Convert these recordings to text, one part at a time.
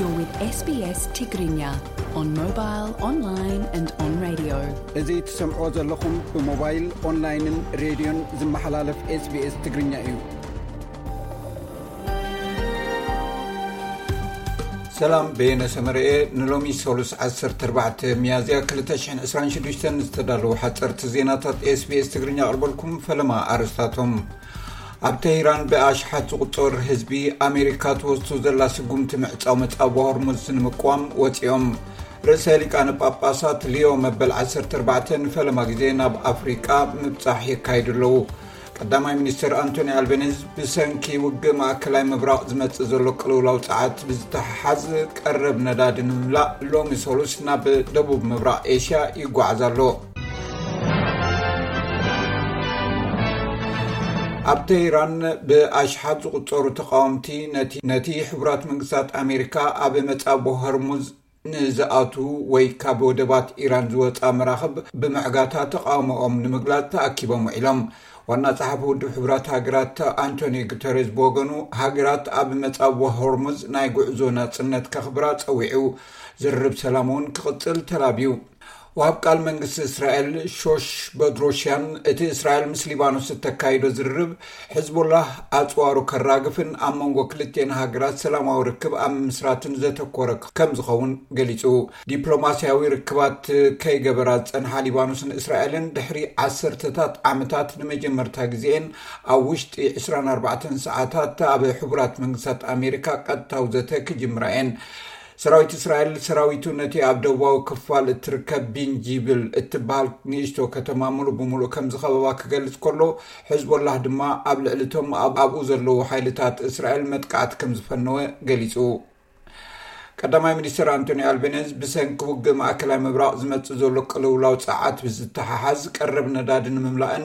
You're with S B S Tigrinya on mobile, online and on radio. እዚ ትሰምዕዎ ዘለኹም ብሞባይል፣ ኦንላይንን ሬድዮን ዝመሓላለፍ SBS ትግርኛ እዩ። ሰላም፣ በየነ ሰመረኤ። ንሎሚ ሰሉስ ዓሰርተ ኣርባዕተ ሚያዝያ ክልተ ሽሕን ዕስራን ሽዱሽተን ዝተዳለዉ ሓፀርቲ ዜናታት SBS ትግርኛ ኣቕርበልኩም። ፈለማ ኣርእስታቶም። ኣብ ተህራን ብኣሽሓት ዝቑጸር ህዝቢ ኣሜሪካ ትወስዶ ዘላ ስጉምቲ ምዕጻው መጻብ ሆርሙዝ ንምቅዋም ወጺኦም። ርእሰ ሊቃነ ጳጳሳት ሊዮ መበል ዓሰርተ ኣርባዕተ ንፈለማ ግዜ ናብ ኣፍሪቃ ምብጻሕ የካይዱ ኣለዉ። ቀዳማይ ሚኒስትር ኣንቶኒ ኣልቤኒዝ ብሰንኪ ውግእ ማእከላይ ምብራቕ ዝመጽእ ዘሎ ቅልውላው ጸዓት ብዝተሓሓዝ ቀረብ ነዳዲ ንምምላእ ሎሚ ሰሉስ ናብ ደቡብ ምብራቕ ኤሽያ ይጓዓዝ ኣሎ። ኣብ ተህራን ብኣሽሓት ዝቑጸሩ ተቓወምቲ ነቲ፣ ነቲ ሕቡራት መንግስታት ኣሜሪካ ኣብ መጻቦ ሆርሙዝ ንዝኣቱ ወይ ካብ ወደባት ኢራን ዝወጻ መራኽብ ብምዕጋታ ተቓውሞኦም ንምግላጽ ተኣኪቦም ውዒሎም። ዋና ጸሓፊ ውድብ ሕቡራት ሃገራት ኣንቶኒዮ ጉተሬዝ ብወገኑ፣ ሃገራት ኣብ መጻቦ ሆርሙዝ ናይ ጉዕዞ ናጽነት ከኽብራ ጸዊዑ። ዝርርብ ሰላም እውን ክቕጽል ተላብዩ። ወሃብ ቃል መንግስቲ እስራኤል ሾሽ በድሮሽያን፣ እቲ እስራኤል ምስ ሊባኖስ እተካይዶ ዝርርብ፣ ሕዝቦላህ ኣጽዋሩ ከራግፍን ኣብ መንጎ ክልቴን ሃገራት ሰላማዊ ርክብ ኣብ ምስራትን ዘተኮረ ከም ዝኸውን ገሊጹ። ዲፕሎማስያዊ ርክባት ከይገበራ ዝጸንሓ ሊባኖስን እስራኤልን፣ ድሕሪ ዓሰርተታት ዓመታት ንመጀመርታ ግዜኤን ኣብ ውሽጢ ዕስራን ኣርባዕተን ሰዓታት ኣብ ሕቡራት መንግስታት ኣሜሪካ ቀጥታዊ ዘተ ክጅምራ እየን። ሰራዊት እስራኤል፣ ሰራዊቱ ነቲ ኣብ ደቡባዊ ክፋል እትርከብ ቢንጂብል እትበሃል ንእሽቶ ከተማ ምሉእ ብምሉእ ከም ዝኸበባ ክገልጽ ከሎ፣ ሕዝቦላህ ድማ ኣብ ልዕሊ እቶም ኣብ-፣ ኣብኡ ዘለዉ ሓይልታት እስራኤል መጥቃዕቲ ከም ዝፈነወ ገሊጹ። ቀዳማይ ሚኒስትር ኣንቶኒ ኣልቤኒዝ ብሰንኪ ውግእ ማእከላይ ምብራቕ ዝመጽእ ዘሎ ቅልውላው ጸዓት ብዝተሓሓዝ ቀረብ ነዳዲ ንምምላእን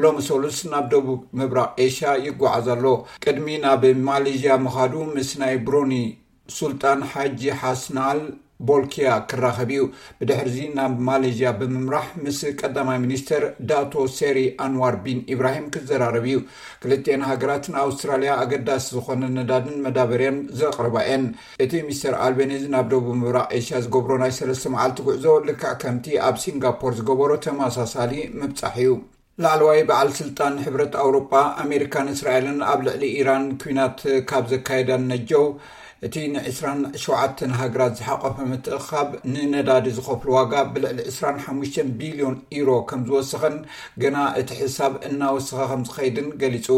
ሎሚ ሰሉስ ናብ ደቡብ ምብራቕ ኤሽያ ይጓዓዝ ኣሎ። ቅድሚ ናብ ማሌዥያ ምኻዱ ምስ ናይ ብሮኒ ሱልጣን ሓጂ ሓስናል ቦልኪያ ክራኸብ እዩ። ብድሕርዚ ናብ ማሌዥያ ብምምራሕ ምስ ቀዳማይ ሚኒስተር ዳቶ ሴሪ ኣንዋር ቢን ኢብራሂም ክዘራረብ እዩ። ክልቲኤን ሃገራት ንኣውስትራልያ ኣገዳሲ ዝኾነ ነዳድን መዳበርያን ዘቕርባ እየን። እቲ ሚስተር ኣልቤኒዝ ናብ ደቡብ ምብራቕ ኤሽያ ዝገብሮ ናይ ሰለስተ መዓልቲ ጉዕዞ ልክዕ ከምቲ ኣብ ሲንጋፖር ዝገበሮ ተመሳሳሊ ምብጻሕ እዩ። ላዕለዋይ በዓል ስልጣን ሕብረት ኣውሮጳ፣ ኣሜሪካን እስራኤልን ኣብ ልዕሊ ኢራን ኲናት ካብ ዘካየዳን ነጀው፣ እቲ ንዕስራን ሸውዓተን ሃገራት ዝሓቆፈ ምትእኽኻብ ንነዳዲ ዝኸፍሉ ዋጋ ብልዕሊ ዕስራን ሓሙሽተን ቢልዮን ዩሮ ከም ዝወሰኸን ገና እቲ ሕሳብ እናወሰኸ ከም ዝኸይድን ገሊጹ።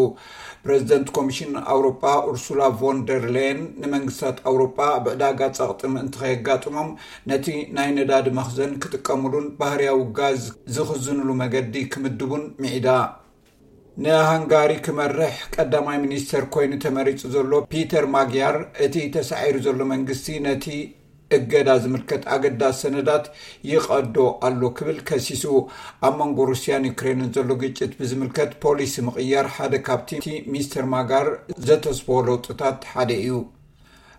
ፕረዚደንት ኮሚሽን ኣውሮጳ ኡርሱላ ቮን ደር ሌየን ንመንግስታት ኣውሮጳ ኣብ ዕዳጋ ጸቕጢ ምእንቲ ከየጋጥሞም ነቲ ናይ ነዳዲ መኽዘን ክጥቀምሉን ባህርያዊ ጋዝ ዝኽዝንሉ መገዲ ክምድቡን ምዒዳ። ንሃንጋሪ ክመርሕ ቀዳማይ ሚኒስተር ኮይኑ ተመሪጹ ዘሎ ፒተር ማግያር፣ እቲ ተሳዒሩ ዘሎ መንግስቲ ነቲ እገዳ ዝምልከት ኣገዳሲ ሰነዳት ይቐዶ ኣሎ ክብል ከሲሱ። ኣብ መንጎ ሩስያን ዩክሬንን ዘሎ ግጭት ብዝምልከት ፖሊሲ ምቕያር ሓደ ካብቲ ሚስተር ማጋር ዘተስፈዎ ለውጥታት ሓደ እዩ።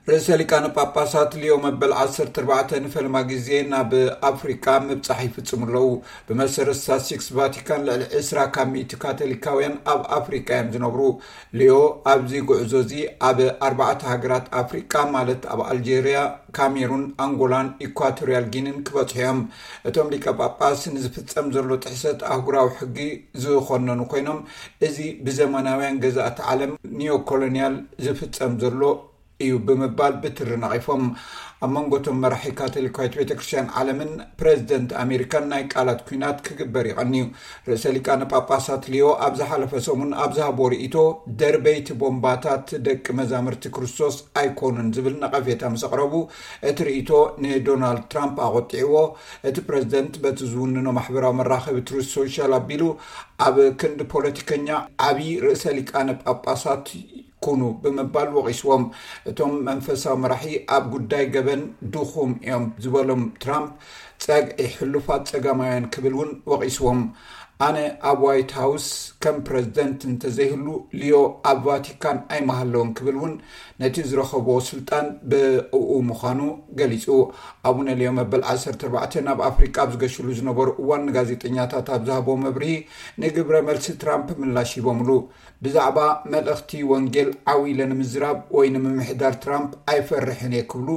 ርእሰ ሊቃነ ጳጳሳት ሊዮ መበል ዓሰርተ ኣርባዕተ ንፈለማ ግዜ ናብ ኣፍሪቃ ምብጻሕ ይፍጽሙ ኣለዉ። ብመሰረት ስታትስቲክስ ቫቲካን፣ ልዕሊ ዕስራ ካብ ሚእቲ ካቶሊካውያን ኣብ ኣፍሪቃ እዮም ዝነብሩ። ሊዮ ኣብዚ ጉዕዞ እዚ ኣብ ኣርባዕተ ሃገራት ኣፍሪቃ፣ ማለት ኣብ ኣልጀርያ፣ ካሜሩን፣ ኣንጎላን ኢኳቶርያል ጊኒን ክበጽሑ እዮም። እቶም ሊቀ ጳጳስ ንዝፍጸም ዘሎ ጥሕሰት ኣህጉራዊ ሕጊ ዝኾነኑ ኮይኖም፣ እዚ ብዘመናውያን ገዛእቲ ዓለም ኒዮኮሎኒያል ዝፍጸም ዘሎ እዩ ብምባል ብትሪ ነቒፎም። ኣብ መንጎ እቶም መራሒ ካቶሊካዊት ቤተ ክርስቲያን ዓለምን ፕረዚደንት ኣሜሪካን ናይ ቃላት ኲናት ክግበር ይቐንዩ። ርእሰ ሊቃነ ጳጳሳት ሊዮ ኣብ ዝሓለፈ ሰሙን ኣብ ዝሃቦ ርእይቶ፣ ደርበይቲ ቦምባታት ደቂ መዛምርቲ ክርስቶስ ኣይኮኑን ዝብል ነቐፌታ ምስ ኣቕረቡ፣ እቲ ርእይቶ ንዶናልድ ትራምፕ ኣቖጢዕዎ። እቲ ፕረዚደንት በቲ ዝውንኖ ማሕበራዊ መራኸቢ ትሩዝ ሶሻል ኣቢሉ፣ ኣብ ክንዲ ፖለቲከኛ ዓቢ ርእሰ ሊቃነ ጳጳሳት ኩኑ ብምባል ወቒስዎም። እቶም መንፈሳዊ መራሒ ኣብ ጉዳይ ገበን ድኹም እዮም ዝበሎም ትራምፕ፣ ጸግዒ ሕሉፋት ጸጋማውያን ክብል እውን ወቒስዎም። ኣነ ኣብ ዋይት ሃውስ ከም ፕረዚደንት እንተዘይህሉ፣ ሊዮ ኣብ ቫቲካን ኣይመሃለውን ክብል እውን ነቲ ዝረኸቦ ስልጣን ብእኡ ምዃኑ ገሊጹ። ኣቡነ ሊዮ መበል ዓሰርተ ኣርባዕተ ናብ ኣፍሪቃ ኣብ ዝገሽሉ ዝነበሩ እዋን ንጋዜጠኛታት ኣብ ዝሃቦ መብርሂ፣ ንግብረ መልሲ ትራምፕ ምላሽ ሂቦምሉ። ብዛዕባ መልእኽቲ ወንጌል ዓው ኢለ ንምዝራብ ወይ ንምምሕዳር ትራምፕ ኣይፈርሕን እየ ክብሉ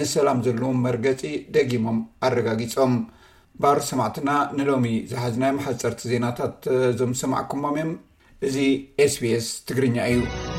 ንሰላም ዘለዎም መርገጺ ደጊሞም ኣረጋጊጾም። ባር ሰማዕትና ንሎሚ ዝሓዝናዮም ሓጸርቲ ዜናታት እዞም ዝሰማዕኩሞም እዮም። እዚ ኤስቢኤስ ትግርኛ እዩ።